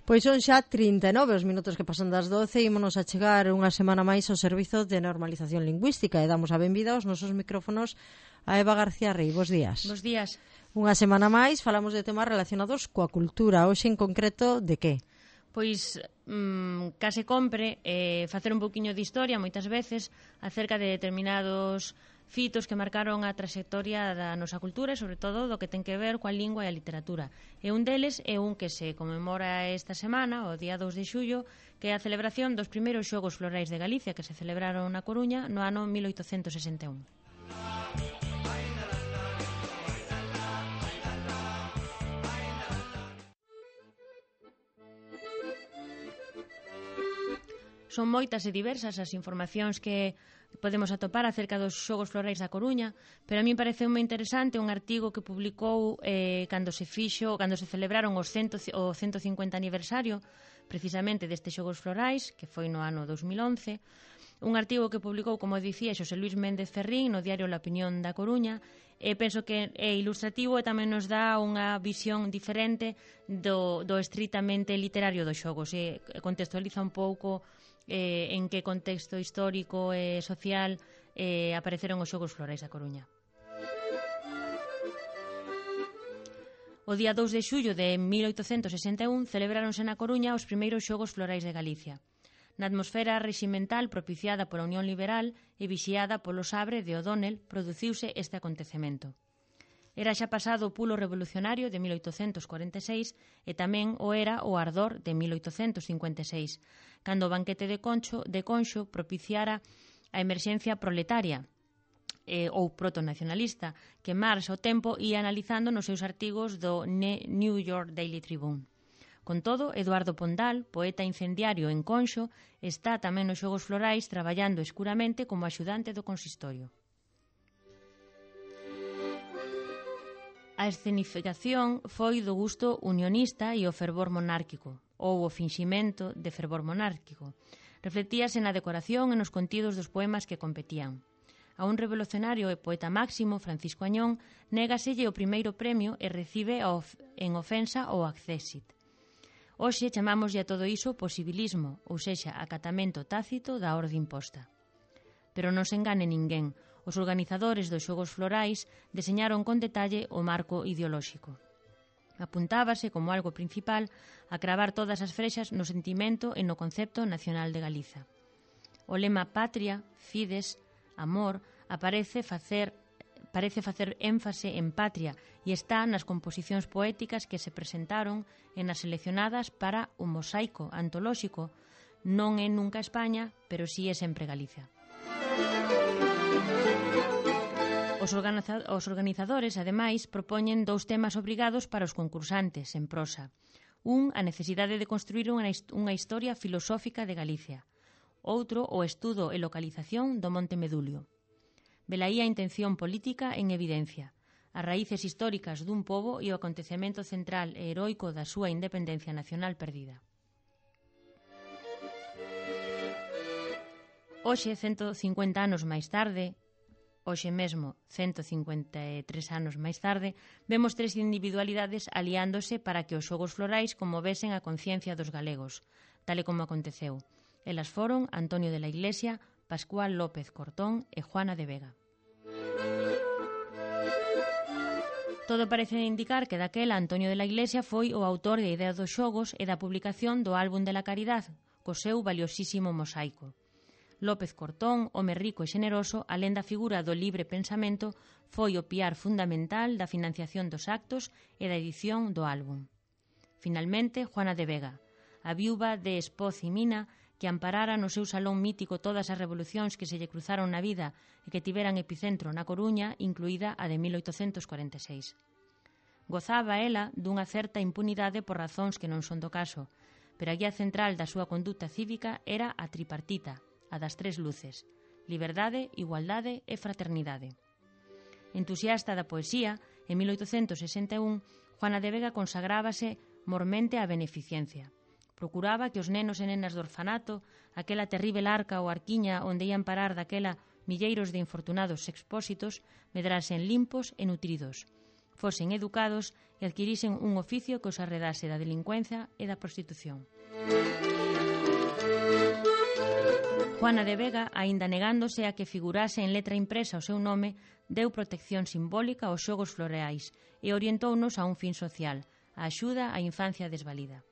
Pois son xa 39 os minutos que pasan das 12 e ímonos a chegar unha semana máis ao Servizo de Normalización Lingüística e damos a benvida aos nosos micrófonos a Eva García Rey. Bos días. Bos días. Unha semana máis falamos de temas relacionados coa cultura. Hoxe en concreto de que? Pois case compre facer un pouquiño de historia moitas veces acerca de determinados fitos que marcaron a traxectoria da nosa cultura e sobre todo do que ten que ver coa lingua e a literatura. E un deles é un que se conmemora esta semana, o día 2 de xullo, que é a celebración dos primeiros Xogos Florais de Galicia que se celebraron na Coruña no ano 1861. Son moitas e diversas as informacións que podemos atopar acerca dos Xogos Florais da Coruña, pero a mí parece moi interesante un artigo que publicou cando se celebraron o 150 aniversario precisamente destes Xogos Florais, que foi no ano 2011, un artigo que publicou, como dicía, Xosé Luis Méndez Ferrín no diario La Opinión da Coruña, e penso que é ilustrativo e tamén nos dá unha visión diferente do estritamente literario dos xogos e contextualiza un pouco en que contexto histórico e social apareceron os Xogos Florais da Coruña. O día 2 de xullo de 1861 celebráronse na Coruña os primeiros Xogos Florais de Galicia. Na atmosfera reximental propiciada pola Unión Liberal e vixiada polo Sabre de O'Donnell produciuse este acontecemento. Era xa pasado o pulo revolucionario de 1846 e tamén o era o ardor de 1856, cando o banquete de Conxo propiciara a emerxencia proletaria ou protonacionalista que Marx ao tempo ia analizando nos seus artigos do New York Daily Tribune. Con todo, Eduardo Pondal, poeta incendiario en Conxo, está tamén nos Xogos Florais traballando escuramente como axudante do consistorio. A escenificación foi do gusto unionista e o fervor monárquico, ou o finximento de fervor monárquico. Reflectíase na decoración e nos contidos dos poemas que competían. A un revolucionario e poeta máximo, Francisco Añón, négaselle o primeiro premio e recibe en ofensa o accésit. Hoxe chamámoslle a todo iso posibilismo, ou sexa, acatamento tácito da orde imposta. Pero non se engane ninguén. Os organizadores dos Xogos Florais deseñaron con detalle o marco ideolóxico. Apuntábase como algo principal a cravar todas as frexas no sentimento e no concepto nacional de Galiza. O lema Patria, Fides, Amor parece facer énfase en patria e está nas composicións poéticas que se presentaron e nas seleccionadas para o mosaico antolóxico. Non é nunca España, pero si é sempre Galicia. Os organizadores, ademais, propoñen dous temas obrigados para os concursantes en prosa. Un, a necesidade de construir unha historia filosófica de Galicia. Outro, o estudo e localización do Monte Medulio. Velaí a intención política en evidencia, as raíces históricas dun pobo e o acontecemento central e heroico da súa independencia nacional perdida. Hoxe, 150 anos máis tarde, hoxe mesmo, 153 anos máis tarde, vemos tres individualidades aliándose para que os Xogos Florais conmovesen a conciencia dos galegos, tal e como aconteceu. Elas foron Antonio de la Iglesia, Pascual López Cortón e Juana de Vega. Todo parece indicar que daquela Antonio de la Iglesia foi o autor da idea dos xogos e da publicación do Álbum de la Caridad, co seu valiosísimo mosaico. López Cortón, home rico e xeneroso, alén da figura do libre pensamento, foi o piar fundamental da financiación dos actos e da edición do álbum. Finalmente, Juana de Vega, a viúva de Espoz y Mina, que amparara no seu salón mítico todas as revolucións que se lle cruzaron na vida e que tiveran epicentro na Coruña, incluída a de 1846. Gozaba ela dunha certa impunidade por razóns que non son do caso, pero a guía central da súa conduta cívica era a tripartita, a das tres luces: liberdade, igualdade e fraternidade. Entusiasta da poesía, en 1861, Juana de Vega consagrábase mormente á beneficencia. Procuraba que os nenos e nenas do orfanato, aquela terrível arca ou arquiña onde ian parar daquela milleiros de infortunados expósitos, medrasen limpos e nutridos. fosen educados e adquirisen un oficio que os arredase da delincuencia e da prostitución. Juana de Vega, aínda negándose a que figurase en letra impresa o seu nome, deu protección simbólica aos xogos floreais e orientounos a un fin social, a axuda á infancia desvalida.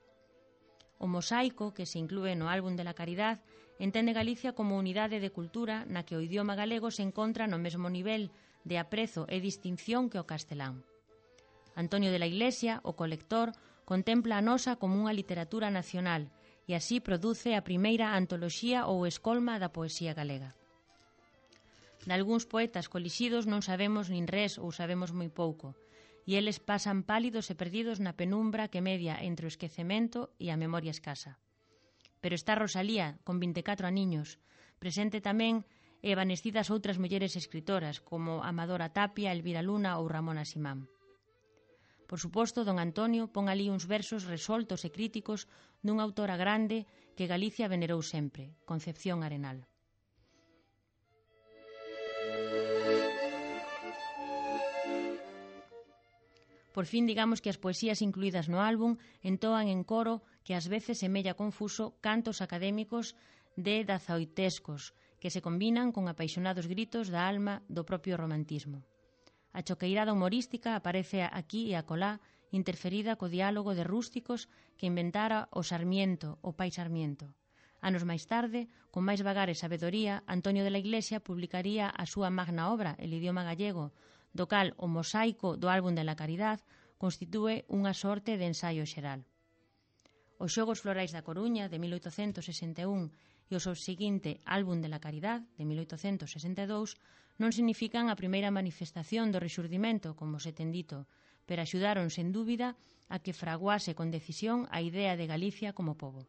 O mosaico, que se inclúe no Álbum de la Caridad, entende Galicia como unidade de cultura na que o idioma galego se encontra no mesmo nivel de aprezo e distinción que o castelán. Antonio de la Iglesia, o colector, contempla a nosa como unha literatura nacional e así produce a primeira antoloxía ou escolma da poesía galega. Dalgúns poetas colixidos non sabemos nin res ou sabemos moi pouco, e eles pasan pálidos e perdidos na penumbra que media entre o esquecemento e a memoria escasa. Pero está Rosalía, con 24 aniños, presente tamén e evanecidas outras mulleres escritoras, como Amadora Tapia, Elvira Luna ou Ramona Simán. Por suposto, don Antonio pon ali uns versos resoltos e críticos dunha autora grande que Galicia venerou sempre, Concepción Arenal. Por fin, digamos que as poesías incluídas no álbum entoan en coro que ás veces semella confuso cantos académicos de dazaoitescos que se combinan con apaixonados gritos da alma do propio romantismo. A choqueirada humorística aparece aquí e acolá, interferida co diálogo de rústicos que inventara o Sarmiento, o pai Sarmiento. Anos máis tarde, con máis vagar e sabedoría, Antonio de la Iglesia publicaría a súa magna obra, El idioma gallego, do cal o mosaico do Álbum de la Caridad constitúe unha sorte de ensaio xeral. Os Xogos Florais da Coruña, de 1861, e o subseguinte Álbum de la Caridad, de 1862, non significan a primeira manifestación do rexurdimento, como se ten dito, pero axudaron, sen dúbida, a que fraguase con decisión a idea de Galicia como pobo.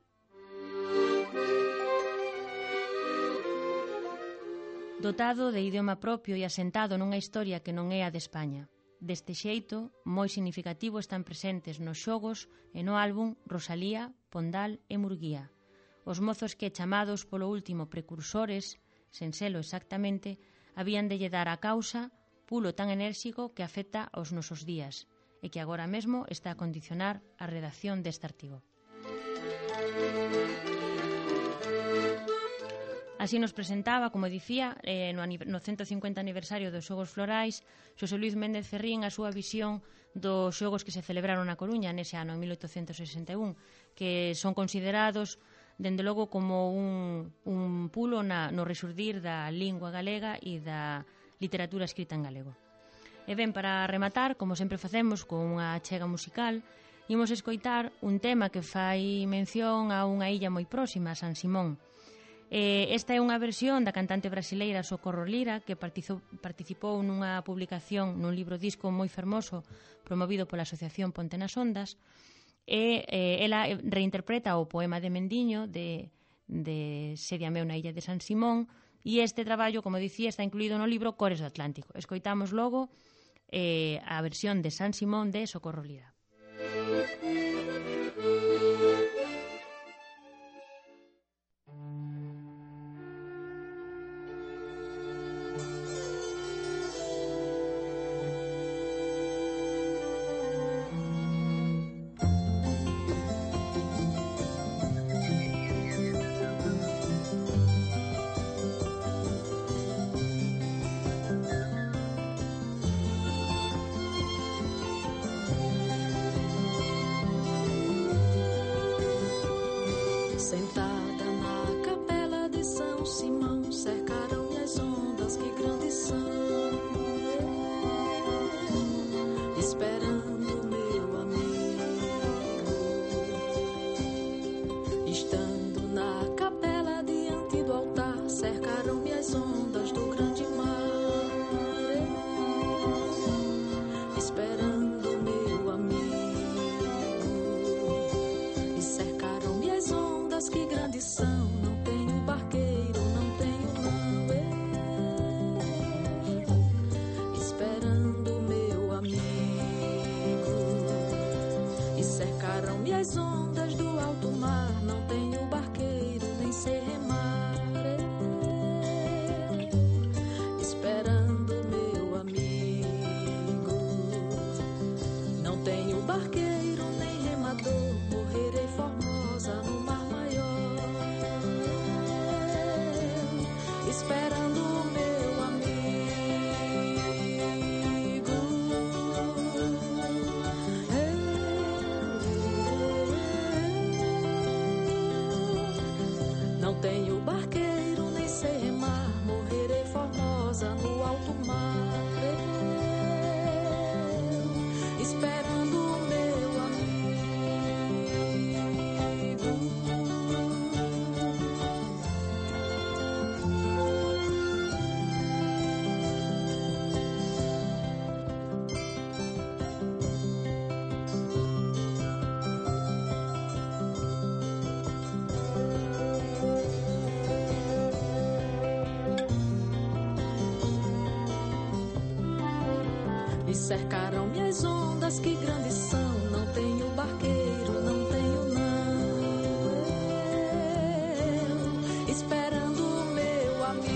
Dotado de idioma propio e asentado nunha historia que non é a de España. Deste xeito, moi significativo están presentes nos xogos e no álbum Rosalía, Pondal e Murguía. Os mozos que, chamados polo último precursores, sen selo exactamente, habían de lle dar a causa pulo tan enérxico que afecta aos nosos días e que agora mesmo está a condicionar a redacción deste artigo. Así nos presentaba, como dicía, no 150 aniversario dos Xogos Florais, Xosé Luis Méndez Ferrín a súa visión dos xogos que se celebraron na Coruña nese ano, en 1861, que son considerados, dende logo, como un pulo no rexurdir da lingua galega e da literatura escrita en galego. E ben, para rematar, como sempre facemos, con unha achega musical, imos escoitar un tema que fai mención a unha illa moi próxima, San Simón. Esta é unha versión da cantante brasileira Socorro Lira, que participou nunha publicación nun libro disco moi fermoso promovido pola Asociación Ponte nas Ondas, e ela reinterpreta o poema de Mendiño de Sédiame na illa de San Simón, e este traballo, como dicía, está incluído no libro Cores do Atlántico. Escoitamos logo a versión de San Simón de Socorro Lira. Sentada na capela de São Simão, cercaram-me as ondas que grandes são, esperando meu amigo. Estando na capela diante do altar, cercaram-me as ondas do grande mar, esperando meu amigo. E cercaram-me as ondas que grandes são, não tenho barqueiro, não tenho não, esperando meu amigo. E cercaram-me as ondas do alto mar, não tenho barqueiro, nem sei remar, esperando meu amigo. tenho barqueiro, nem sei remar, morrerei formosa no alto mar. Esperando o meu amigo. Me cercaram-me as ondas, que grandes são. Não tenho barqueiro, não tenho não. Esperando o meu amigo.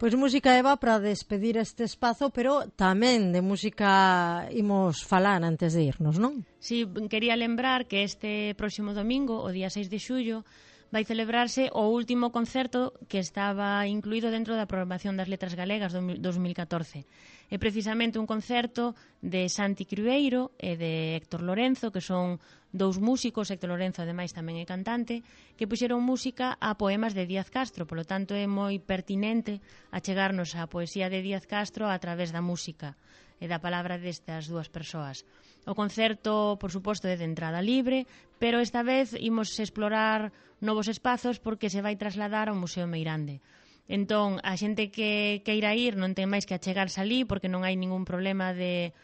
Pois música, Eva, para despedir este espazo, pero tamén de música imos falar antes de irnos, non? Sí, quería lembrar que este próximo domingo, o día 6 de xullo, vai celebrarse o último concerto que estaba incluído dentro da programación das Letras Galegas 2014. É precisamente un concerto de Santi Crueiro e de Héctor Lorenzo, que son dous músicos. Héctor Lorenzo, ademais, tamén é cantante, que puxeron música a poemas de Díaz Castro. Polo tanto, é moi pertinente achegarnos á poesía de Díaz Castro a través da música e da palabra destas dúas persoas. O concerto, por suposto, é de entrada libre, pero esta vez imos explorar novos espazos porque se vai trasladar ao Museo Meirande. Entón, a xente que queira ir non ten máis que achegarse ali porque non hai ningún problema de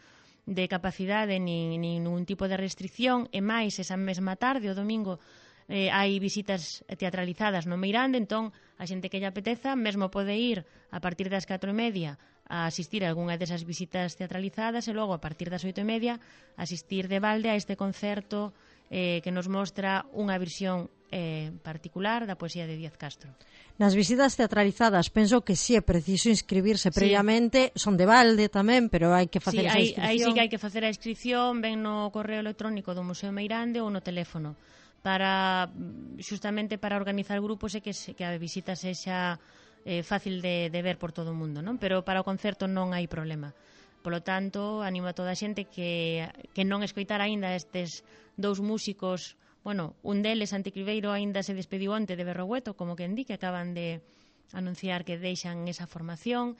capacidade ni ningún tipo de restricción. E máis, esa mesma tarde, o domingo, hai visitas teatralizadas no Meirande. Entón, a xente que lle apeteza mesmo pode ir a partir das 4:30 a asistir a algunha desas visitas teatralizadas e logo a partir das 8:30 asistir de balde a este concerto que nos mostra unha versión particular da poesía de Díaz Castro. Nas visitas teatralizadas penso que sí é preciso inscribirse previamente, son de balde tamén, pero hai que facer esa inscripción. Aí sí que hai que facer a inscripción, ven no correo electrónico do Museo Meirande ou no teléfono, para justamente para organizar grupos e que a visita sexa fácil de ver por todo o mundo, non? Pero para o concerto non hai problema. Polo tanto, animo a toda a xente que non escoitar aínda estes dous músicos. Bueno, un deles, Santi Crueiro, aínda se despediu onte de Berrogueto, como que que acaban de anunciar que deixan esa formación,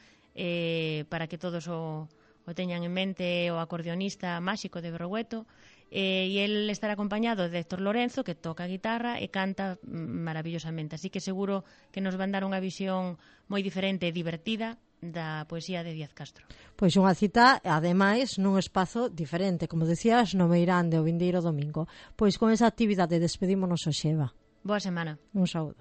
para que todos o teñan en mente, o acordeonista máxico de Berrogueto, e el estará acompañado de Héctor Lorenzo, que toca a guitarra e canta maravillosamente. Así que seguro que nos van dar unha visión moi diferente e divertida da poesía de Díaz Castro. Pois unha cita, ademais, nun espazo diferente, como decías, no Meirande o vindeiro domingo. Pois con esa actividade despedímonos hoxe, Eva. Boa semana. Un saúdo.